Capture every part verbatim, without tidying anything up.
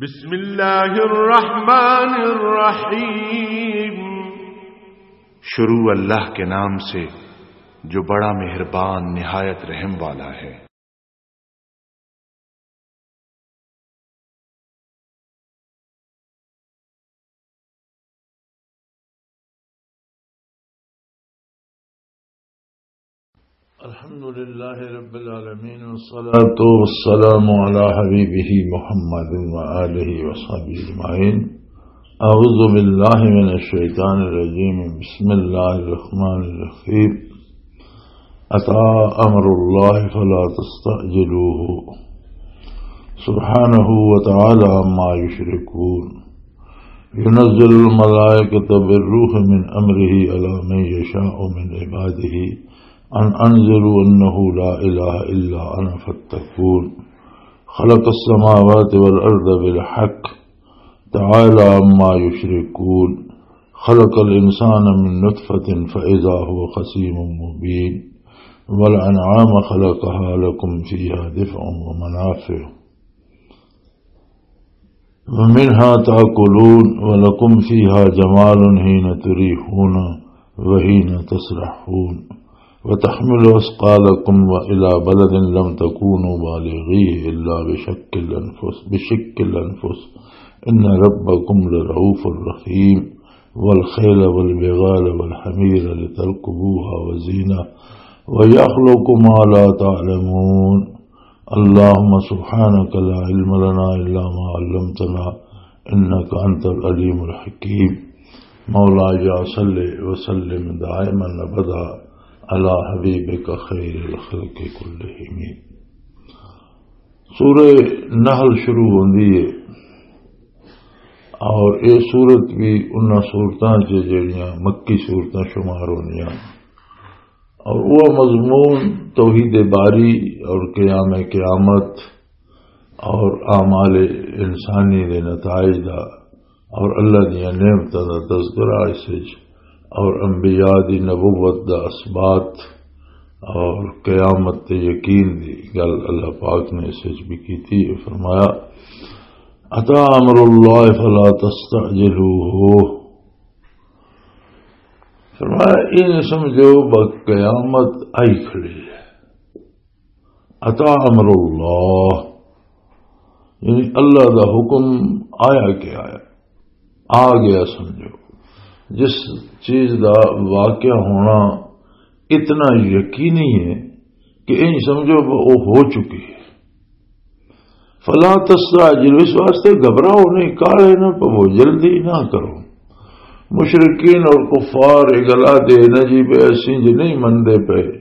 بسم اللہ الرحمن الرحیم۔ شروع اللہ کے نام سے، جو بڑا مہربان، نہایت رحم والا ہے۔ الحمد لله رب العالمين، والصلاة والسلام على حبيبه محمد وآله وصحبه أجمعين. أعوذ بالله من الشيطان الرجيم. بسم الله الرحمن الرحيم. أتى أمر الله فلا تستعجلوه. سبحانه وتعالى عما يشركون. ينزل الملائكة بالروح من أمره على من يشاء من عباده أن أنذروا أنه لا إله إلا أنا فاتقون. خلق السماوات والأرض بالحق تعالى عما يشركون. خلق الإنسان من نطفة فإذا هو خصيم مبين. والأنعام خلقها لكم فيها دفء ومنافع ومنها تأكلون ولكم فيها جمال حين تريحون وحين تسرحون وتحمل أثقالكم وإلى بلد لم تكونوا بالغيه إلا بشق الأنفس، بشق الأنفس، إن ربكم لرؤوف رحيم. والخيل والبغال والحمير لتركبوها وزينة ويخلق ما لا تعلمون. اللهم سبحانك لا علم لنا إلا ما علمتنا إنك أنت العليم الحكيم. مولاي صل وسلم دائما أبدا على حبيبك خير الخلق كلهم. سورہ نحل شروع ہوندی ہے اور یہ سورت بھی انہاں سورتاں چ جڑیاں مکی سورتاں شمار ہوندیاں، اور وہ مضمون توحید باری اور قیام قیامت اور اعمال انسانی دے نتائج دا اور اللہ دیاں نعمتاں دا تذکرہ اس وچ، اور انبیاء دی نبوت دا اثبات اور قیامت تے یقین دی گل اللہ پاک نے اس وچ بھی کیتی ہے۔ فرمایا، "اتا امر اللہ فلا تستعجلوہ۔" فرمایا، "یہ نہ سمجھو بس قیامت آئی کھڑی ہے۔" اتا امر اللہ، یعنی اللہ دا حکم آیا کہ آیا، آ گیا سمجھو۔ جس چیز دا واقع ہونا اتنا یقینی ہے کہ ان سمجھو وہ ہو چکی ہے۔ فلا تستعجل، اس واسطے گھبراؤ نہیں، کالے نہ پو، جلدی نہ کرو۔ مشرکین اور کفار یہ گلا دے نہ جی بے اسی جی نہیں مندے پے،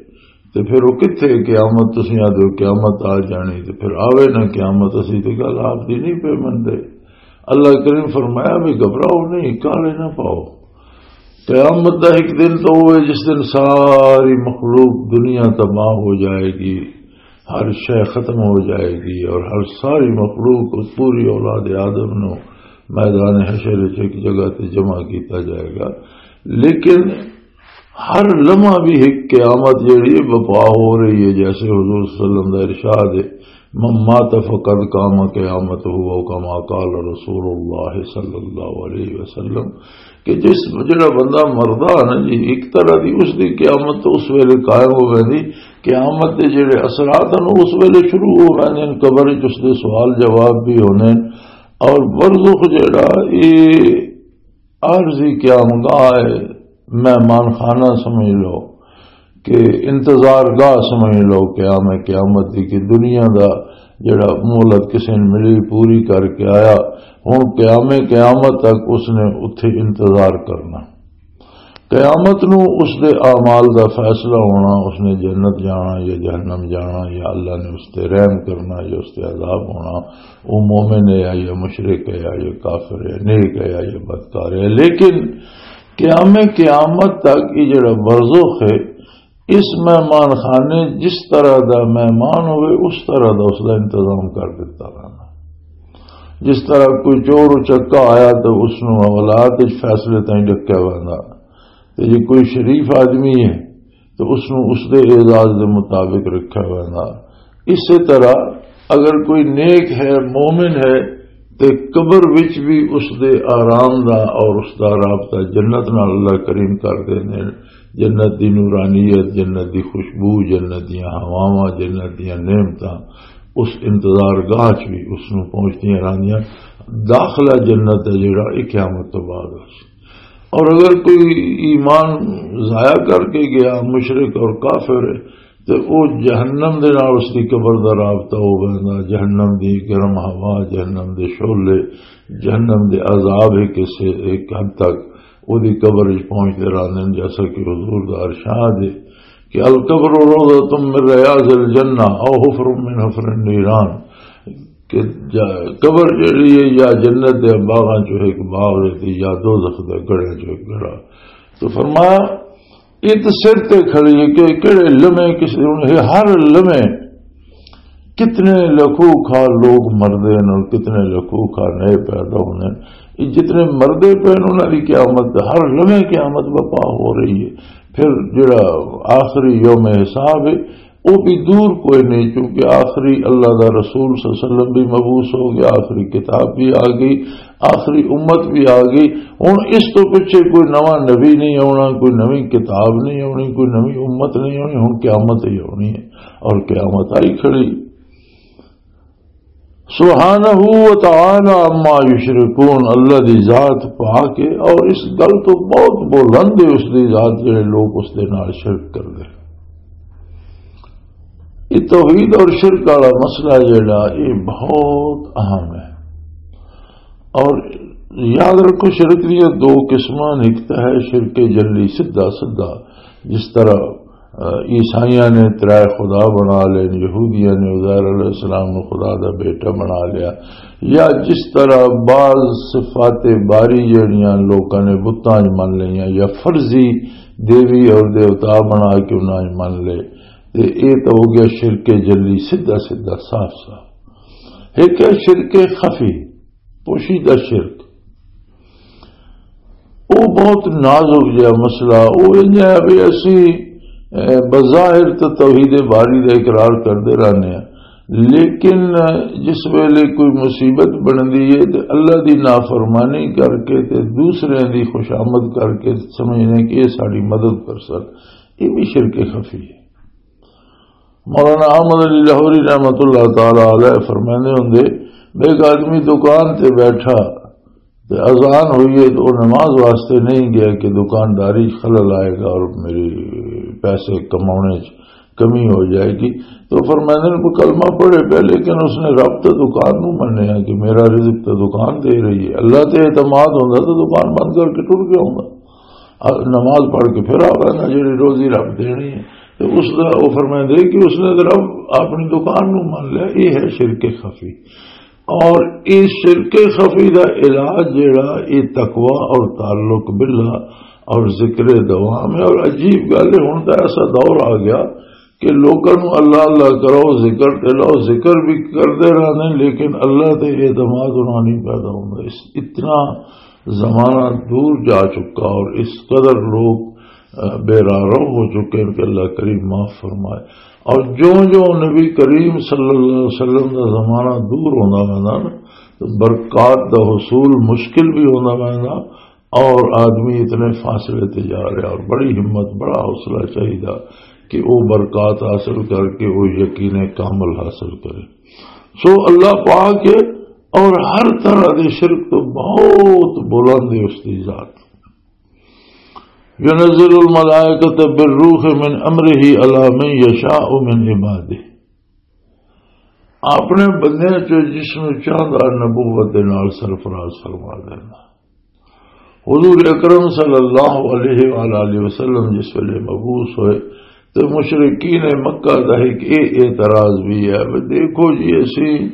تے پھر وہ کتھے قیامت؟ تسی آدھے ہو قیامت آ جانی، تے پھر آوے نہ قیامت، اسی تے گل آپ دی نہیں پے مندے۔ اللہ کریم فرمایا بھی گھبراؤ نہیں، کالے نہ پاؤ۔ قیامت دا ایک دن تو وہ ہے جس دن ساری مخلوق دنیا تباہ ہو جائے گی، ہر شے ختم ہو جائے گی اور ہر ساری مخلوق، پوری اولاد آدم نو میدان حشر وچ ایک جگہ تے جمع کیتا جائے گا۔ لیکن ہر لمحہ بھی ایک قیامت جیڑی ہے بپا ہو رہی ہے، جیسے حضور صلی اللہ علیہ وسلم دا ارشاد ہے، "من مات فقد قام قیامتہ"، او کما قال رسول اللہ صلی اللہ علیہ وسلم، کہ جس، جڑا بندہ مردہ ہے نا جی، ایک طرح دی اس دی قیامت تو اس ویلے قائم ہو ویندی۔ قیامت دے جڑے اثرات ہیں، اس ویلے شروع ہو ویندے ہیں، قبر وچ اس دے سوال جواب بھی ہونے ہیں۔ اور برزخ جڑا، یہ عارضی قیام گاہ ہے، مہمان خانہ سمجھ لو کہ انتظار گاہ سمجھ لو قیام قیامت دی، کہ دنیا دا جڑا مہلت کسے نے ملی، پوری کر کے آیا، ہن قیام قیامت تک اس نے اتھے انتظار کرنا۔ قیامت نو اس دے اعمال دا فیصلہ ہونا، اس نے جنت جانا یا جہنم جانا، یا اللہ نے اس تے رحم کرنا یا اس تے عذاب ہونا، وہ مومن ہے یا مشرک ہے یا کافر ہے، نیک ہے یا بدکار ہے۔ لیکن قیام قیامت تک یہ جڑا برزخ ہے، اس مہمان خانے جس طرح دا مہمان ہوئے، اس طرح دا اس دا انتظام کر دیتا رہنا۔ جس طرح کوئی چور اچکا آیا تو اس نو اولاد وچ فیصلے تائیں ڈکیا ویندا، تے جے کوئی شریف آدمی ہے تو اس نو اس دے اعزاز دے مطابق رکھیا ویندا۔ اسی طرح اگر کوئی نیک ہے، مومن ہے، تے قبر وچ بھی اس دے آرام دا اور اس دا رابطہ جنت نال اللہ کریم کر دیندے نے۔ جنت دی نورانیت، جنت دی خوشبو، جنت دیاں ہواواں، جنت دیاں نعمتاں اس انتظار گاہ چ بھی اس نوں پہنچدیاں رہندیاں۔ داخلہ جنت دا جڑا، یہ قیامت تو بعد ہو سی۔ اور اگر کوئی ایمان ضائع کر کے گیا، مشرک اور کافر ہے، تے او جہنم دے نال اس دی قبر دا رابطہ ہو ویندا۔ جہنم دی گرم ہوا، جہنم دے شعلے، جہنم دے عذاب ہی کسے ایک حد تک او دی قبر وچ پہنچدے رہندے نے، جیسا کہ حضور دا ارشاد ہے کہ "القبر روضۃ من ریاض الجنہ او حفر من حفر النیران"، کہ جا-، قبر جڑی ہے یا جنت دے باغاں چوں ایک باغ ہے تے یا دوزخ دے گڑھیں چوں ایک گڑھا۔ تو فرمایا، یہ تو سر تے کھڑی ہے کہ کہڑے لمحے کسی ہن، یہ ہر لمحے کتنے لکھوں کھا لوگ مردے ہیں اور کتنے لکھوں کھا نئے پیدا ہونے ہیں۔ یہ جتنے مردے پے ہیں، انہاں دی قیامت، ہر لمحے قیامت بپا ہو رہی ہے۔ پھر جڑا آخری یوم حساب ہے، وہ بھی دور کوئی نہیں، کیونکہ آخری اللہ دا رسول صلی اللہ علیہ وسلم بھی مبعوث ہو گیا، آخری کتاب بھی آ گئی، آخری امت بھی آ گئی۔ ہن اس تو پیچھے کوئی نواں نبی نہیں آنا، کوئی نویں کتاب نہیں آنی، کوئی نویں امت نہیں آنی، ہن قیامت ہی آنی ہے اور قیامت آئی کھڑی۔ سبحانہ و تعالی عما یشرکون، اللہ دی ذات پاک ہے اور اس گل تو بہت بلند ہے اس دی ذات، جڑے لوگ اس دے نال شرک کردے۔ یہ توحید اور شرک والا مسئلہ جڑا، یہ بہت اہم ہے۔ اور یاد رکھو، شرک دیاں دو قسماں، ایک تو ہے شرک جلی، سیدھا سیدھا، جس طرح، آ، عیسائیاں نے ترائے خدا بنا لے، یہودیاں نے عزیر علیہ السلام نو خدا دا بیٹا بنا لیا، یا جس طرح بعض صفات باری جڑیاں لوکاں نے بتاں وچ من لئیاں، یا فرضی دیوی اور دیوتا بنا کے انہاں وچ من لے، تے اے تو ہو گیا شرک جلی، سیدھا سیدھا، صاف صاف۔ ایک ہے شرک خفی، پوشیدہ شرک۔ وہ بہت نازک جہا مسئلہ۔ وہ انج ہے بھی اسی، اے، بظاہر تو توحید باری دا اقرار کردے رہنے ہیں، لیکن جس ویلے کوئی مصیبت بندی ہے تے اللہ دی نافرمانی کر کے تے دوسرے دی خوشامد کر کے سمجھنے کہ یہ ساری مدد کر سک، یہ بھی شرک خفی ہے۔ مولانا احمد علی لاہوری رحمت اللہ تعالی علیہ فرماندے ہوندے، ایک آدمی دکان تے بیٹھا تے اذان ہوئی ہے تو وہ نماز واسطے نہیں گیا کہ دکانداری خلل آئے گا اور میری پیسے کمانے چ کمی ہو جائے گی۔ تو فرماندے نے، کوئی کلمہ پڑھے پہ، لیکن اس نے رب تو دکان نو منیا کہ میرا رزق تو دکان دے رہی ہے۔ اللہ تے اعتماد ہوندا تو دکان بند کر کے ٹر گیا ہوندا۔ نماز پڑھ کے پھر آ وینا، جڑی روزی رب دینی ہے۔ تے اس دا، او فرمائندے کہ اس نے تے رب اپنی دکان نو من لیا، یہ ہے شرک خفی۔ اور اس شرک خفی دا علاج جڑا، یہ تقوی اور تعلق باللہ اور ذکر دوام ہے۔ اور عجیب گل ہے، ہن تاں ایسا دور آ گیا کہ لوکاں نوں اللہ اللہ کرو، ذکر تے لاؤ، ذکر بھی کردے رہندے نے، لیکن اللہ تے اعتماد انہاں نہیں پیدا ہوندا۔ اس، اتنا زمانہ دور جا چکا اور اس قدر لوگ، آ، بے راہ رو ہو چکے ہیں کہ اللہ کریم معاف فرمائے۔ اور جو جو نبی کریم صلی اللہ علیہ وسلم دا زمانہ دور ہوندا ویندا نا، تو برکات دا حصول مشکل بھی ہوندا ویندا، اور آدمی اتنے فاصلے تے جا رہا اور بڑی ہمت، بڑا حوصلہ چاہیدا کہ وہ برکات حاصل کر کے وہ یقین کامل حاصل کرے۔ سو اللہ پاک ہے اور ہر طرح دے شرک تو بہت بلند ہے اس دی ذات۔ ينزل الملائكة بالروح من أمره على من يشاء من عباده۔ اپنے بندیاں چوں جس نوں چاہندا نبوت دے نال سرفراز فرما دینا۔ حضور اکرم صلی اللہ علیہ وآلہ وسلم جس ویلے مبعوث ہوئے تے مشرکین مکہ دا ایک اے اعتراض بھی ہے، بھی دیکھو جی، اسی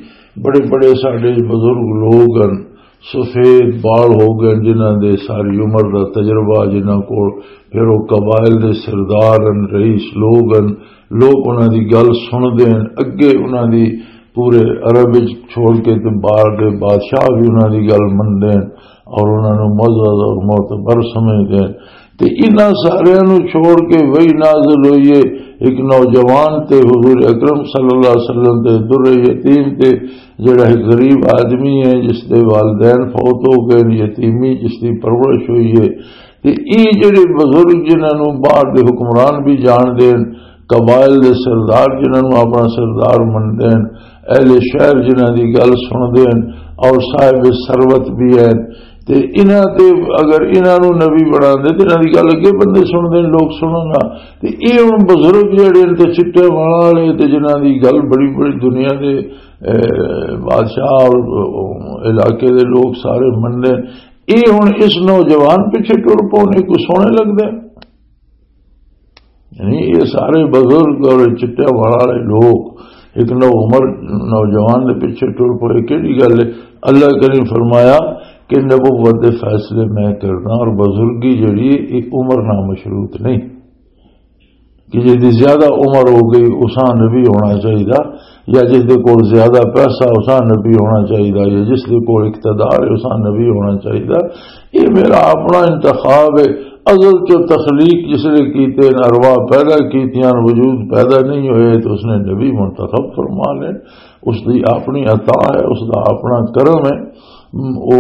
بڑے بڑے ساڈے بزرگ لوگ ہن، سفید بال ہو گئے، جنہاں دے ساری عمر دا تجربہ، جنہاں کول پھر وہ قبائل دے سردار ہن، رئیس لوگ ہن، لوگ انہاں دی گل سن دے ہن، اگے انہاں دی پورے عرب وچ چھوڑ کے تے باہر دے بادشاہ بھی انہاں دی گل من دے ہن اور انہاں نوں معزز اور معتبر سمجھ دے ہن۔ تے انہاں ساریاں نوں چھوڑ کے وحی نازل ہوئی ہے ایک نوجوان تے، حضور اکرم صلی اللہ علیہ وسلم تے، در یتیم تے، جڑا ایک غریب آدمی ہے جس دے والدین فوت ہو گئے، یتیمی جس دی پرورش ہوئی ہے۔ تے اے جڑے بزرگ جنہاں نوں باہر دے حکمران بھی جان دین، قبائل دے سردار جنہاں نوں اپنا سردار من دین، اہل شہر جنہاں دی گل سن دین اور صاحب ثروت بھی ہیں، تے انہاں تے اگر انہاں نوں نبی بنا دے تے انہاں دی گل اگے بندے سن دین، لوگ سنن نہ۔ تے اے ہن بزرگ جڑے نے تے چٹے والاں والے تے جنہاں دی گل بڑی بڑی دنیا دے، اے، بادشاہ اور علاقے دے لوگ سارے من دین، اے ہن اس نوجوان پیچھے ٹر پونے کو سونے لگدے۔ یعنی یہ سارے بزرگ اور چٹے والا والے لوگ ایک نو عمر نوجوان دے پیچھے ٹر پے، کہڑی گل ہے؟ اللہ کریم فرمایا کہ نبوت دے فیصلے میں کرنا، اور بزرگی جڑی ہے، یہ عمر نہ مشروط نہیں کہ جس دی زیادہ عمر ہو گئی اساں نبی ہونا چاہیے، یا جس دے کول زیادہ پیسہ اساں نبی ہونا چاہیے، یا جس دے کول اقتدار ہے اساں نبی ہونا چاہیے۔ یہ میرا اپنا انتخاب ہے۔ ازل چو تخلیق جس نے کیتے ہیں، ارواح پیدا کیتیاں، وجود پیدا نہیں ہوئے تو اس نے نبی منتخب فرما لے۔ اس دی اپنی عطا ہے، اس دا اپنا کرم ہے۔ او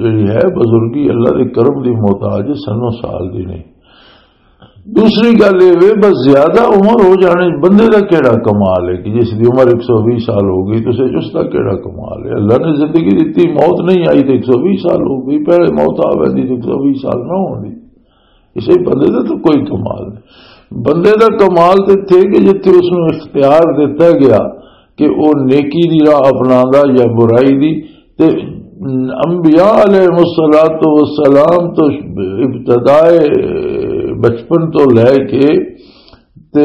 جڑی ہے بزرگی اللہ دے کرم دی محتاج ہے، سنو سال دی نہیں۔ دوسری گل یہ وے، بس زیادہ عمر ہو جانے بندے دا کیڑا کمال ہے کہ جس دی عمر ایک سو ویہہ سال ہو گئی، تو اس دا کیڑا کمال ہے؟ اللہ نے زندگی دتی، موت نہیں آئی تو ایک سو ویہہ سال ہو گئی، پہلے موت آ ویندی تو ایک سو ویہہ سال نہ ہوندی۔ اسے بندے دا تو کوئی کمال نہیں۔ بندے دا کمال تے تھے کہ جتھے اس نوں اختیار دتا گیا کہ او نیکی دی راہ اپناندا یا برائی دی۔ تے انبیاء علیہ الصلوۃ والسلام تو ابتدائے بچپن تو لے کے تے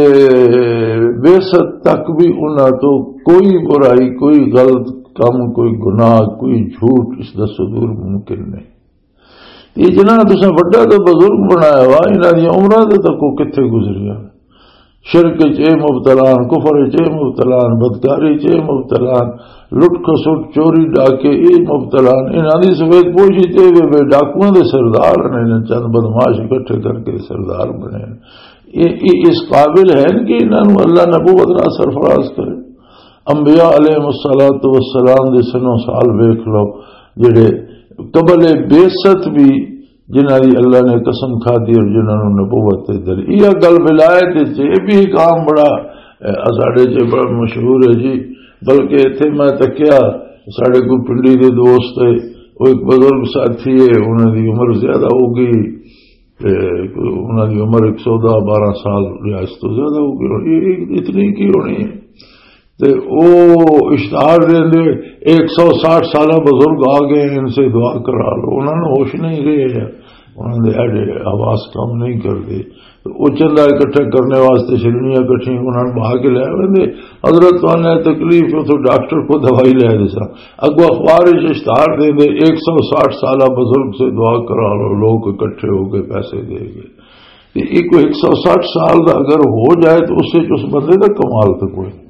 بعثت تک بھی انہاں تو کوئی برائی، کوئی غلط کم، کوئی گناہ، کوئی جھوٹ اس دا صدور ممکن نہیں۔ یہ جنہاں تساں وڈا تے بزرگ بنایا وا، انہاں دی عمراں دے تک وہ کتھے گزریاں؟ شرک چ اے مبتلا ہن، کفر چ اے مبتلا ہن، بدکاری چ اے مبتلا ہن، لٹ کھسٹ، چوری ڈاکے اے مبتلا ہن۔ انہاں دی سفید پوشی چ اے وے، وے ڈاکواں دے سردار نے، چند بدمعاش اکٹھے کر کے سردار بنے۔ اے، اے اس قابل ہیں کہ انہاں نوں اللہ نبوت نال سرفراز کرے۔ انبیاء علیہ الصلوۃ والسلام دے سنو سال ویکھ لو، جڑے قبل بعثت بھی جنہاں دی اللہ نے قسم کھا دی اور جنہاں نوں نبوت تے دل۔ یہ گل ولایت وچ یہ بھی ایک عام بڑا، اے، ساڈے چ بڑا مشہور ہے جی۔ بلکہ اتھے میں تکیا، ساڈے کوئی پنڈی دے دوست ہے، وہ ایک بزرگ ساتھی ہے، انہاں دی عمر زیادہ ہو گئی، تے انہاں دی عمر ایک سو دہ بارہ سال یا اس تو زیادہ ہو گئی ہونی، یہ اتنی کی ہونی ہے۔ تے او اشتہار دے دے، ایک سو ساٹھ سالہ بزرگ آ گئے، ان سے دعا کرا لو۔ انہاں نوں ہوش نہیں رہے، انہاں دے اڈے حواس کم نہیں کردے۔ تے او چندہ اکٹھا کرنے واسطے شرنیاں اکٹھیاں انہاں نوں بہا کے لے آویں دے۔ حضرت تو نے تکلیف، اتھوں ڈاکٹر کو دوائی لے دے سا۔ اگو اخبار وچ اشتہار دے دے، ایک سو ساٹھ سالہ بزرگ سے دعا کرا لو، لوگ اکٹھے ہو کے پیسے دے گئے۔ تے ایک ایک سو ساٹھ سال دا اگر ہو جائے تو اس وچ اس بندے دا کمال تو کوئی نہیں۔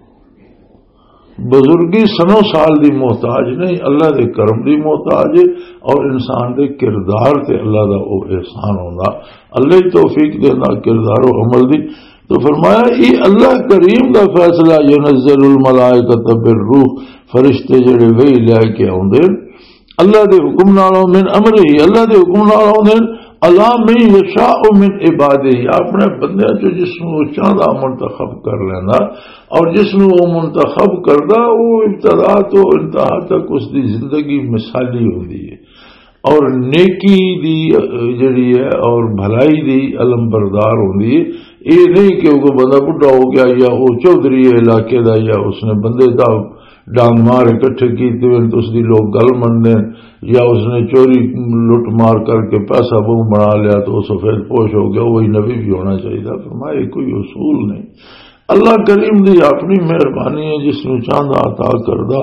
بزرگی سنو سال دی محتاج نہیں، اللہ دے کرم دی محتاج ہے، اور انسان دے کردار تے اللہ دا او احسان ہوندا۔ اللہ ہی توفیق دیندا کردار و عمل دی۔ تو فرمایا، یہ اللہ کریم دا فیصلہ، ينزل الملائکۃ بالروح، فرشتے جڑے وحی لے کے آوندے، اللہ دے حکم نال، من امرہ، اللہ دے حکم نال آوندے، علی من یشاء من عبادہ، اپنے بندیاں چوں جس نوں وہ چاہندا منتخب کر لیندا، اور جس نوں وہ منتخب کردا، وہ ابتدا تو انتہا تک اس دی زندگی مثالی ہوندی ہے، اور نیکی دی، اہ، جڑی ہے اور بھلائی دی علم بردار ہوندی ہے۔ یہ نہیں کہ وہ بندہ بڈھا ہو گیا یا وہ چوہدری ہے علاقے دا یا اس نے بندے دا ڈانگ مار اکٹھے کیتے ہوئے تو اس دی لوگ گل مننے، یا اس نے چوری لٹ مار کر کے پیسہ بہوں بنا لیا تو وہ سفید پوش ہو گیا، وہی نبی بھی ہونا چاہیے۔ فرمایا، یہ کوئی اصول نہیں۔ اللہ کریم دی اپنی مہربانی ہے، جس نوں چاہندا عطا کردا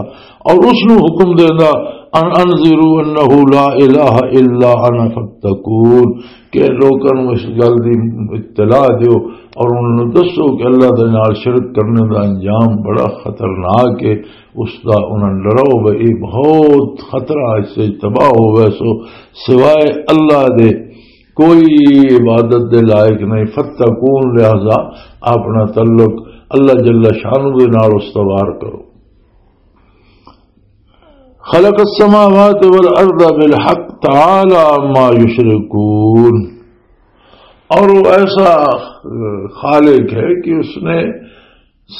اور اس نوں حکم دیندا، ان انذروا انہ لا الہ الا انا فاتقون، کہ لوکاں نوں اس گل دی اطلاع دیو اور انہاں نوں دسو کہ اللہ دے نال شرک کرنے دا انجام بڑا خطرناک ہے۔ اس دا انہاں نوں ڈراؤ، بھئی، یہ بہت خطرہ، اس سے تباہ ہووے سو سوائے اللہ دے کوئی عبادت دے لائق نہیں۔ فتقون، لہذا اپنا تعلق اللہ جل شانہ دے نال استوار کرو۔ خلق السماوات والارض بالحق تعالی عما یشرکون۔ اور وہ ایسا، آ، خالق ہے کہ اس نے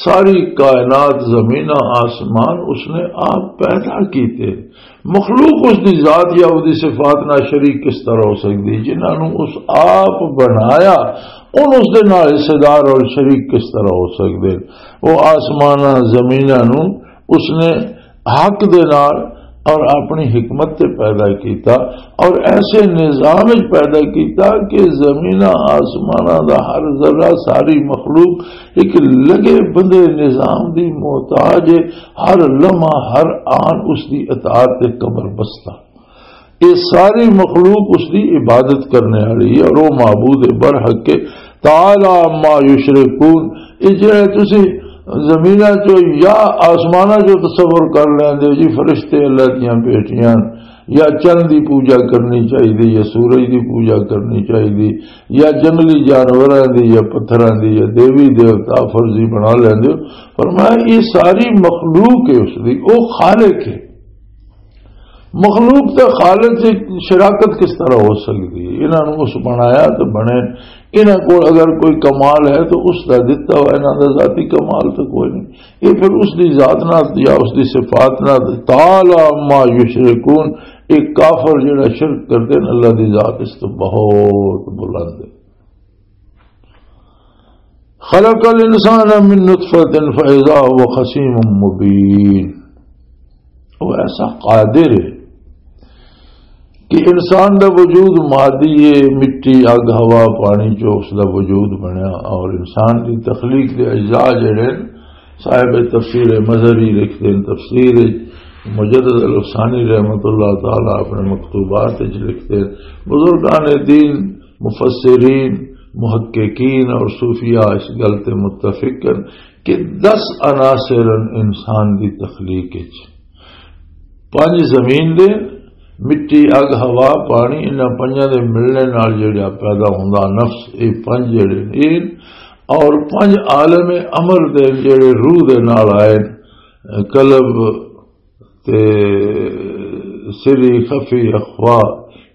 ساری کائنات، زمیناں، آسمان اس نے آپ پیدا کیتے۔ مخلوق اس دی ذات یا اس دی صفات نال شریک کس طرح ہو سکدی؟ جنہاں نوں اس آپ بنایا، ان اس دے نال حصے دار اور شریک کس طرح ہو سکدے؟ وہ آسماناں، زمیناں نوں اس نے حق دے نال اور اپنی حکمت تے پیدا کیتا، اور ایسے نظام وچ پیدا کیتا کہ زمیناں آسماناں دا ہر ذرہ، ساری مخلوق ایک لگے بندے نظام دی محتاج ہے۔ ہر لمحہ، ہر آن اس دی اطاعت تے کمر بستہ۔ یہ ساری مخلوق اس دی عبادت کرنے والی ہے اور وہ معبود برحق کے۔ تعالی عما یشرکون۔ یہ جڑے تسی زمیناں چو یا آسماناں چو تصور کر لیندے ہو جی، فرشتے اللہ دیاں بیٹیاں، یا چند دی پوجا کرنی چاہیے، یا سورج دی پوجا کرنی چاہیے، یا جنگلی جانوراں دی، یا پتھراں دی، یا دیوی دیوتا فرضی بنا لیندے ہو۔ فرمایا، یہ ساری مخلوق ہے اس دی، وہ خالق ہے۔ مخلوق تے خالق دی شراکت کس طرح ہو سکدی ہے؟ انہاں نوں اس بنایا تے بنے، انہاں کول اگر کوئی کمال ہے تو اس دا دتا ہوا، انہاں دا ذاتی کمال تو کوئی نہیں۔ یہ پھر اس دی ذات نال یا اس دی صفات نال، تعالی عما یشرکون، ایک کافر جڑا شرک کردے نے، اللہ دی ذات اس تو بہت بلند ہے۔ خلق الانسان من نطفة فاذا هو خصيم مبين۔ وہ ایسا قادر ہے کہ انسان دا وجود مادی ہے، مٹی، اگ، ہوا، پانی چو اس دا وجود بنیا، اور انسان دی تخلیق دے اجزاء جڑے نے، صاحب تفسیر مظہری لکھتے ہیں، تفسیر مجدد الافسانی رحمت اللہ تعالی اپنے مکتوبات وچ لکھتے ہیں۔ بزرگان دین، مفسرین، محققین اور صوفیاء اس گل تے متفق ہیں کہ دس عناصر ہیں انسان دی تخلیق وچ۔ پنج زمین دے، مٹی، اگ، ہوا، پانی، انہاں پنجاں دے ملنے نال جڑا پیدا ہوندا نفس، اے پنج جڑے نے، اور پنج عالم امر دے جڑے روح دے نال آئے، قلب، تے سری خفی اخوا،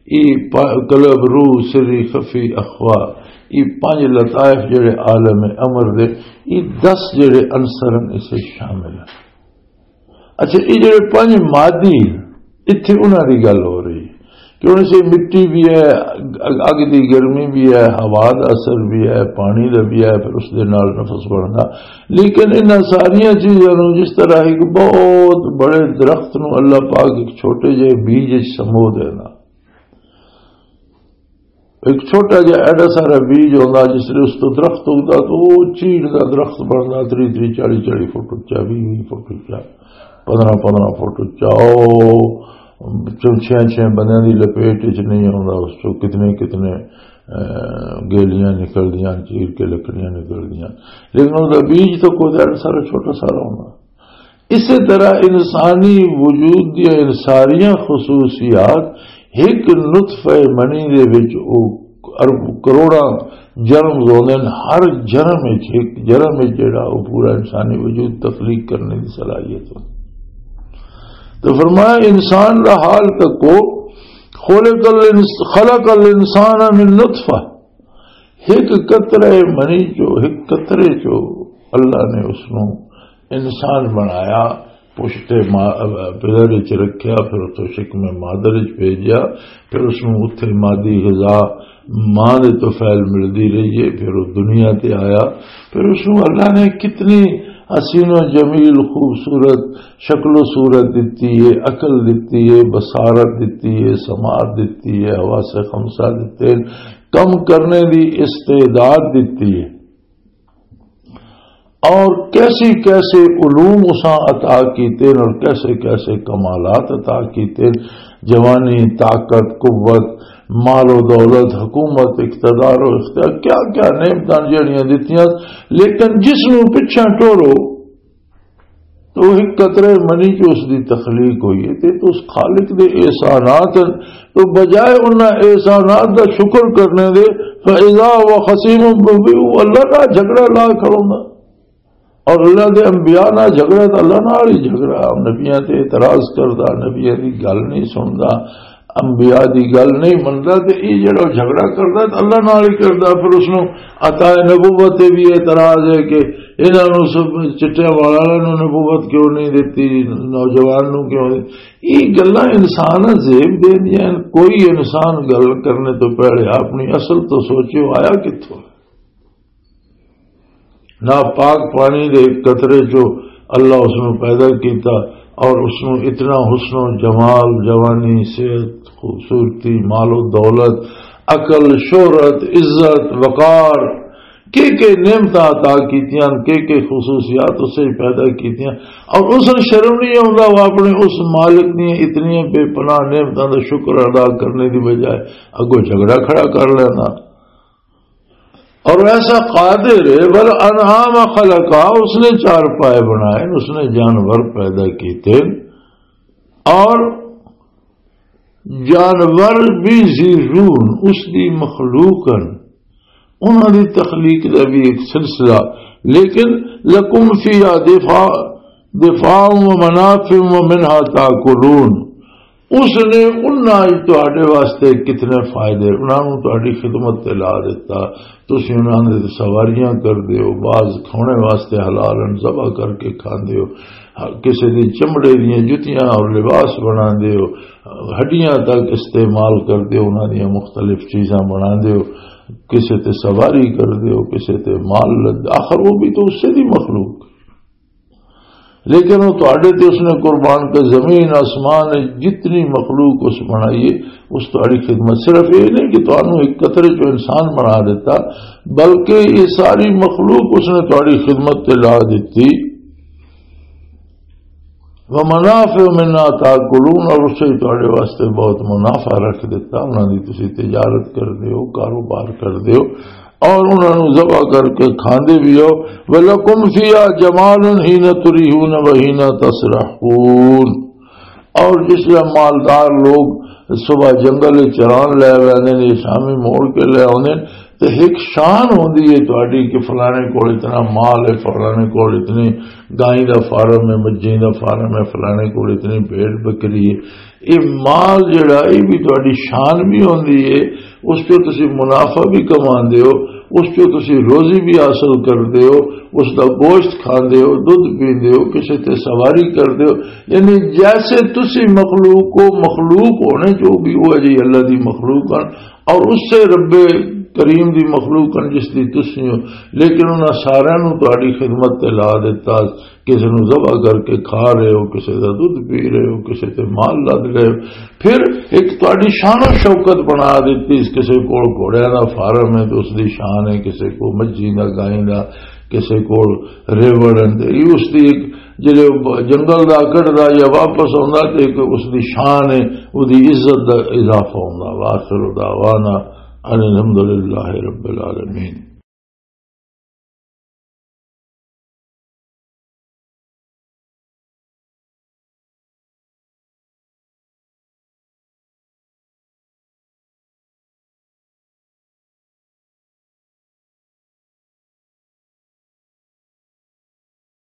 ای پ-، قلب، روح، سری خفی اخوا، ای پنج لطائف جڑے عالم امر دے، ای دس جڑے عنصر ہیں، اسے شامل ہیں۔ اچھا، یہ جڑے پنج مادی، اتھے انہاں دی گل ہو رہی ہے۔ کہ ہن اسے مٹی بھی ہے، اگ، اگ دی گرمی بھی ہے، ہوا دا اثر بھی ہے، پانی دا بھی ہے، پھر اس دے نال نفس بندا۔ لیکن انہاں ساریاں چیزاں نوں جس طرح ایک بہت بڑے درخت نوں اللہ پاک ایک چھوٹے جہے بیج وچ سمو دینا، ایک چھوٹا جہا ایڈا سارا بیج ہوندا، جس لے اس تو درخت اگدا تو وہ چیڑ دا درخت بندا، تری تری، چالی چالی فٹ اچا، ویہہ ویہہ فٹ اچا، پندرہ پندرہ فٹ اچا، او چھ چھ بندیاں دی لپیٹ وچ نہیں آوندا، اس چوں کتنے کتنے، اے، گیلیاں نکلدیاں، چیر کے لکڑیاں نکلدیاں، لیکن اس دا بیج تو کوئی ایڈا سارا چھوٹا سارا ہوندا۔ اسی طرح انسانی وجود دیاں ان ساریاں خصوصیات ایک نطفہ منی دے وچ او ارب کروڑاں جنم ہوندے نے، ہر جنم وچ، ایک جنم وچ جڑا او پورا انسانی وجود تخلیق کرنے دی صلاحیت ہوندی۔ تو فرمایا، انسان دا حال تکو، خلق الانس-، خلق الانسان من نطفہ، ایک قطرے منی چو، ایک قطرے چو اللہ نے اس نو انسان بنایا، پشت ما-، پدر وچ رکھیا، پھر اتوں شکم مادر وچ بھیجیا، پھر اس نو اتھے مادی غذا ماں دے تو پھیل ملدی رہی ہے، پھر وہ دنیا تے آیا، پھر اس نو اللہ نے کتنی حسین و جمیل، خوبصورت شکل و صورت دتی ہے، عقل دتی ہے، بصارت دتی ہے، سماعت دتی ہے، حواس خمسہ دتے، کم کرنے دی استعداد دتی ہے، اور کیسی کیسے علوم اساں عطا کیتے ہیں اور کیسے کیسے کمالات عطا کیتے ہیں، جوانی، طاقت، قوت، مال و دولت، حکومت، اقتدار و اختیار، کیا کیا نعمتاں جڑیاں دتیاں، لیکن جس نوں پچھاں ٹورو، تو ایک قطرے منی چ اس دی تخلیق ہوئی ہے، تے تو اس خالق دے احسانات ہیں۔ تو بجائے انہاں احسانات دا شکر کرنے دے، فَإِذَا هُوَ خَصِيمٌ مُّبِينٌ، وہ اللہ نال جھگڑا لا کھڑوندا۔ اور اللہ دے انبیاء نال جھگڑا، تو اللہ نال ہی جھگڑا۔ نبیاں تے اعتراض کردا، نبیاں دی گل نہیں سندا، انبیاء دی گل نہیں مندا، تے یہ جڑا جھگڑا کردا، تو اللہ نال ہی کردا۔ پھر اس نوں عطا نبوت تے بھی اعتراض ہے کہ انہاں نوں سب چٹیاں والاں نوں نبوت کیوں نہیں دتی، نوجوان نوں کیوں نہیں؟ یہ گلاں انسان زیب دیندیاں ہن۔ کوئی انسان گل کرنے تو پہلے اپنی اصل تو سوچے، وہ آیا کتھوں؟ ناپاک پانی دے ایک قطرے چو اللہ اس نوں پیدا کیتا اور اس نوں اتنا حسن و جمال، جوانی، صحت، خوبصورتی، مال و دولت، عقل، شہرت، عزت، وقار، کے کے نعمتاں عطا کیتیاں، کے کے خصوصیات اسے پیدا کیتیاں، اور اس نوں شرم نہیں آوندا، وہ اپنے اس مالک دی اتنی بے پناہ نعمتاں دا شکر ادا کرنے دی بجائے اگوں جھگڑا کھڑا کر لینا۔ اور ایسا قادر ہے، بل انعام خلقا، اس نے چارپائے بنائے، اس نے جانور پیدا کیتے، اور جانور بھی ذی روح، اس دی مخلوق ہیں، انہاں دی تخلیق دا بھی ایک سلسلہ۔ لیکن لکم فیہا دفاع، دفاع و منافع و منہا تاکلون، اس نے انہاں وچ تہاڈے واسطے کتنے فائدے، انہاں نوں تہاڈی خدمت تے لا دتا، تسی انہاں دے سواریاں کردے ہو، بعض کھانے واسطے حلال ہن، ذبح کر کے کھاندے ہو، کسے دی چمڑے دیاں جتیاں اور لباس بناندے ہو، ہڈیاں تک استعمال کردے ہو، انہاں دیاں مختلف چیزاں بناندے ہو، کسے تے سواری کردے ہو، کسے تے مال لد، آخر وہ بھی تو اسے دی مخلوق۔ لیکن وہ تہاڈے تے اس نے قربان کر، زمین آسمان جتنی مخلوق اس بنائی ہے، اس تہاڈی خدمت۔ صرف یہ نہیں کہ تہانوں ایک قطرے چو انسان بنا دیتا، بلکہ یہ ساری مخلوق اس نے تہاڈی خدمت تے لا دیتی۔ ومنافع منها تاکلون، اور اس سے تہاڈے واسطے بہت منافع رکھ دیتا، انہاں دی تسی تجارت کردے ہو، کاروبار کردے ہو، اور انہاں نوں ذبح کر کے کھاندے بھی ہو۔ وَلَكُمْ فِيهَا جَمَالٌ حِينَ تُرِيحُونَ وَحِينَ تَسْرَحُونَ۔ اور جس طرح مالدار لوگ صبح جنگل وچ چران لے ویندے نے، شامی موڑ کے لے آوندے نے، تے ایک شان ہوندی ہے تہاڈی کہ فلانے کول اتنا مال ہے، فلانے کول اتنی گائیں دا فارم ہے، مجھیں دا فارم ہے، فلانے کول اتنی بھیڑ بکری ہے۔ یہ مال جڑا، یہ بھی تہاڈی شان بھی ہوندی ہے، اس چوں تسی منافع بھی کماندے ہو، اس چوں تسی روزی بھی حاصل کردے ہو، اس دا گوشت کھاندے ہو، دودھ پیندے ہو، کسے تے سواری کردے ہو۔ یعنی جیسے تسی مخلوق ہو، مخلوق ہونے جو بھی ہوا جی اللہ دی مخلوق ہن، اور اس سے رب کریم دی مخلوق ہن جس دی تسی ہو، لیکن انہاں سارے نوں تہاڈی خدمت تے لا دیتا۔ کسے نوں ذبح کر کے کھا رہے ہو، کسے دا دودھ پی رہے ہو، کسے تے مال لد رہے ہو۔ پھر ایک تہاڈی شان و شوکت بنا دتی، اس کسے کول گھوڑیاں دا فارم ہے تے اس دی شان ہے، کسے کول مجھی دا، گائیں دا، کسے کول ریوڑ ہے، تے یہ اس دی ایک، جدے جنگل دا کڈدا یا واپس آوندا تے ایک اس دی شان ہے، اس دی عزت دا اضافہ ہوندا۔ وآخر دعوانا ان الحمدللہ رب العالمین۔